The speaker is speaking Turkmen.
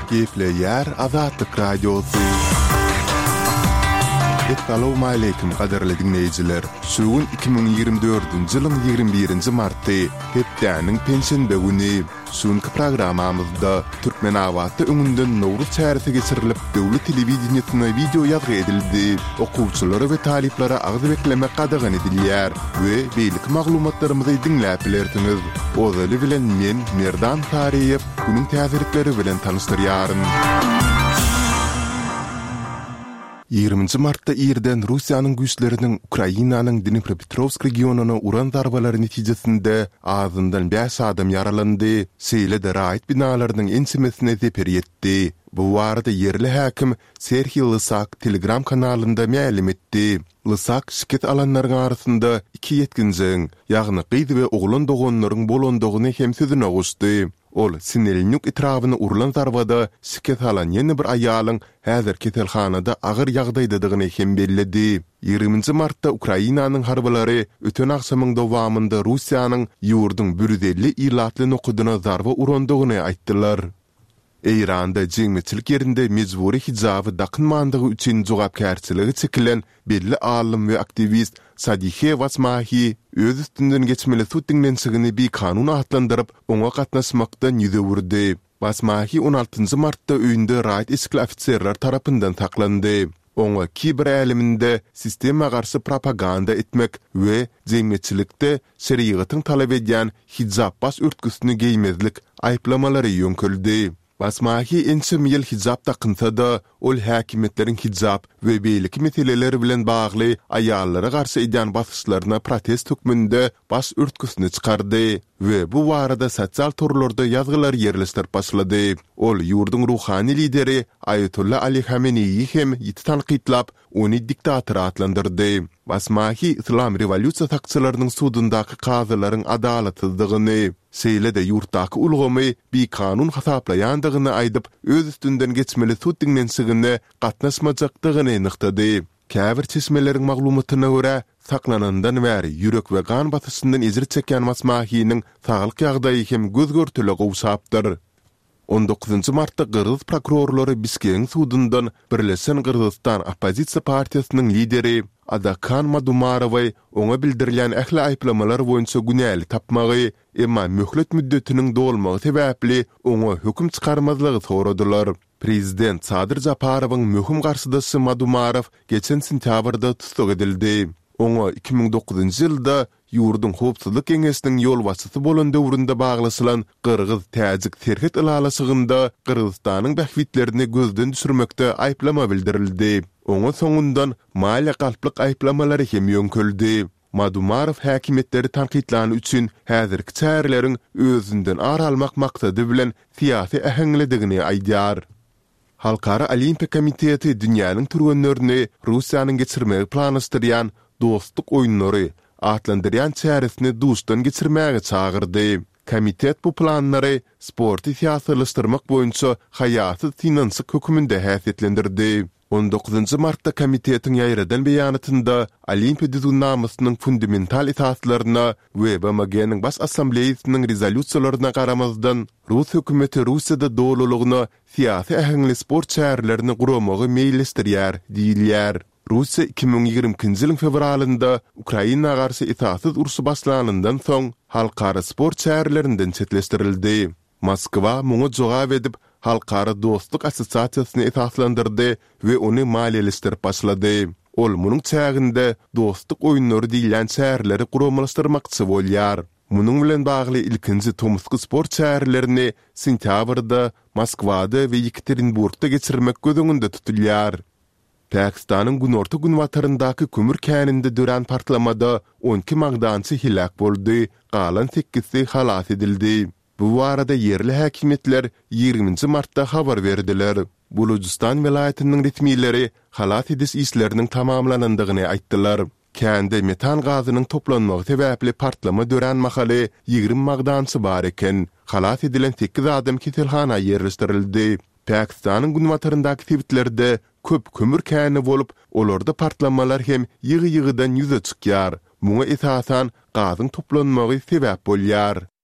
Gepleýär Azatlyk Radiosy. Essalawmaleýkim gadyrly diňleýjiler! Şu gün 2024-nji ýylyň 21-nji marty, hepdäniň penşenbe güni. Şu günki programmamyzda Türkmenabatda öňünden Nowruz çäresi geçirilip, döwlet telewideniýesine wideo ýazgy edildi, okuwçylara we talyplara agyz beklemek gadagan edilýär we beýleki maglumatlarymyzy diňläp bilersiňiz. Ozaly bilen men, Merdan Saryýew, günüň täzelikleri bilen tanyşdyrýaryn. Ýigriminji martda irden Russiýanyň güýçleriniň Ukrainanyň Dnipropetrowsk regionyna uran zarbalary netijesinde azyndan bäş adam ýaralandy, şeýle-de raýat binalarynyň ençemesine zeper ýetdi. Bu barada ýerli häkim Serhiý Lysak Telegram kanalynda mälim etdi. Lysak şikes alanlaryň arasynda iki ýetginjegiň, ýagny gyz we oglan doganlaryň bolandygyny hem sözüne goşdy. Ol Sinelnýuk etrabyna urlan zarbada şikes alan ýene bir aýalyň häzir keselhanada agyr ýagdaýdadygyny hem belledi. Ýigriminji martda Ukrainanyň harbylary öten agşamyň dowamynda Russiýanyň ýurduň 150 ilatly nokadyna zarba urandygyny aýtdylar. Eýranda jemgyýetçilik ýerinde mejbury hijaby dakynmandygy üçin jogapkärçilige çekilen belli alym we aktiwist Sadihe Wasmahi öz üstünden geçmeli sud diňlenişigini bikanun atlandyryp, oňa gatnaşmakdan ýüz öwürdi. Wasmahi on altynjy martda öýünde raýat eşikli ofiserler tarapyndan saklandy. Oňa kiber äleminde sistema garşy propaganda etmek we jemgyýetçilikde şerigatyň talap edýän hijap baş örtgüsini geýmezlik aýyplamalary ýöňkeldi. Basmahi ençeme ýyl hijap dakynsa-da, ol häkimiýetleriň hijap we beýleki meseleler bilen bagly aýallara garşy edýän basyşlaryna protest hökmünde baş örtgüsini çykardy we bu barada sosial torlarda ýazgylar ýerleşdirip başlady. Ol ýurduň ruhany lideri Aýatolla Ali Hameneýi hem ýiti tankytlap, ony diktator atlandyrdy. Basmahi Yslam rewolýusiýa sakçylarynyň sudundaky kazylaryň adalatsyzdygyny, şeýle-de ýurtdaky ulgamy bikanun hasaplaýandygyny aýdyp, öz üstünden geçmeli sud diňlenişigine gatnaşmajakdygyny nygtady. Käbir çeşmeleriň maglumatyna görä, saklanandan bäri ýürek we gan basyşyndan ejir çekýän Basmahiniň saglyk ýagdaýy hem göz-görtele gowşapdyr. On dokuzynjy martda gyrgyz prokurorlary Bişkegiň sudundan Birleşen Gyrgyzystan oppozisiýa partiýasynyň lideri Adakan Madumarowy oňa bildirilýän ähli aýyplamalar boýunça günäli tapmagy, emma möhlet müddetiniň dolmagy sebäpli oňa höküm çykarmazlygy soradylar. Prezident Sadyr Japarowyň möhüm garşydaşy Madumarow geçen sentýabrda tussag edildi. Oňa 2009-njy ýylda ýurduň Howpsuzlyk geňeşiniň ýolbaşçysy bolan döwründe baglaşylan gyrgyz-täjik serhet ylalaşygynda Gyrgyzystanyň bähbitlerini gözden düşürmekde aýyplama bildirildi. Oňa soňundan maliýe galplyk aýyplamalary hem ýöňkeldi. Madumarow häkimiýetleri tankytlany üçin häzirki çäreleriň özünden ar almak maksady bilen syýasy äheňlidigini aýdýar. Halkara Olimpiýa komiteti dünýäniň türgenlerini Russiýanyň geçirmegi planlaşdyrýan Dostluk oýunlary atlandyrýan çäresini duşdan geçirmäge çagyrdy. Komitet bu planlary sporty syýasylaşdyrmak boýunça haýasyz synanyşyk höküminde häsiýetlendirdi. On dokuzynjy martda komitetiň ýaýradan beýanatynda Olimpiýa düzgünnamasynyň fundamental esaslaryna we BMG-niň Baş Assambleýasynyň rezolýusiýalaryna garamazdan, rus hökümeti Russiýada dolulygyna syýasy äheňli sport çärelerini guramagy meýilleşdirýär diýilýär. Russiýa 2022-nji ýylyň fewralynda Ukraina garşy esassyz urşy başlanyndan soň, halkara sport çärelerinden çetleşdirildi. Moskwa muňa jogap edip, Halkara dostluk assosiasiýasyny esaslandyrdy we ony maliýeleşdirip başlady. Ol munuň çäginde Dostluk oýunlary diýilýän çäreleri guramalaşdyrmakçy bolýar. Munuň bilen bagly ilkinji tomusky sport çärelerini sentýabrda Moskwada we Ýekaterinburgda geçirmek göz öňünde tutulýar. Pakistanyň günorta-günbataryndaky kömür käninde dörän partlamada 12 magdançy heläk boldy, galan sekizsi halas edildi. Bu barada ýerli häkimiýetler ýigriminji martda habar berdiler. Bulujystan welaýatynyň resmileri halas ediş işleriniň tamamlanandygyny aýtdylar. Kände metan gazynyň toplanmagy sebäpli partlama dörän mahaly 20 magdançy bar eken. Halas edilen sekiz adam keselhana ýerleşdirildi. Pakistanyň günbataryndaky sebitlerde köp kömür käni bolup, olarda partlamalar hem ýygy-ýygydan ýüze çykýar. Muňa esasan gazyň toplanmagy sebäp bolýar.